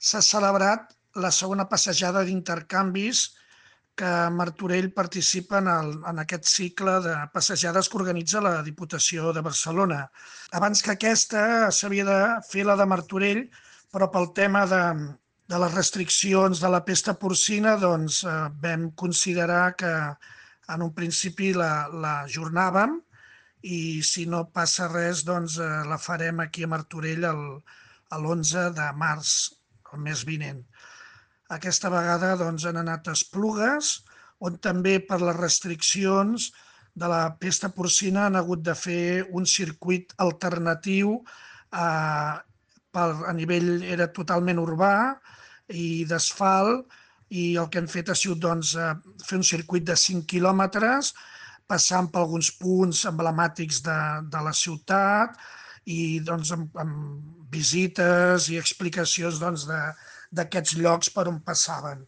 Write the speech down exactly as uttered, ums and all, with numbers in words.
S'ha celebrat la segona passejada d'intercanvis que Martorell participa en, el, en aquest cicle de passejades que organitza la Diputació de Barcelona. Abans que aquesta s'havia de fer la de Martorell, però pel tema de, de les restriccions de la pesta porcina doncs, eh, vam considerar que en un principi la, la ajornàvem i si no passa res doncs, eh, la farem aquí a Martorell l'onze de març, el mes vinent. Aquesta vegada doncs, han anat a Esplugues, on també per les restriccions de la pesta porcina han hagut de fer un circuit alternatiu eh, per, a nivell era totalment urbà i d'asfalt, i el que han fet ha sigut doncs, eh, fer un circuit de cinc quilòmetres, passant per alguns punts emblemàtics de, de la ciutat i doncs, amb, amb visites i explicacions doncs, de, d'aquests llocs per on passaven.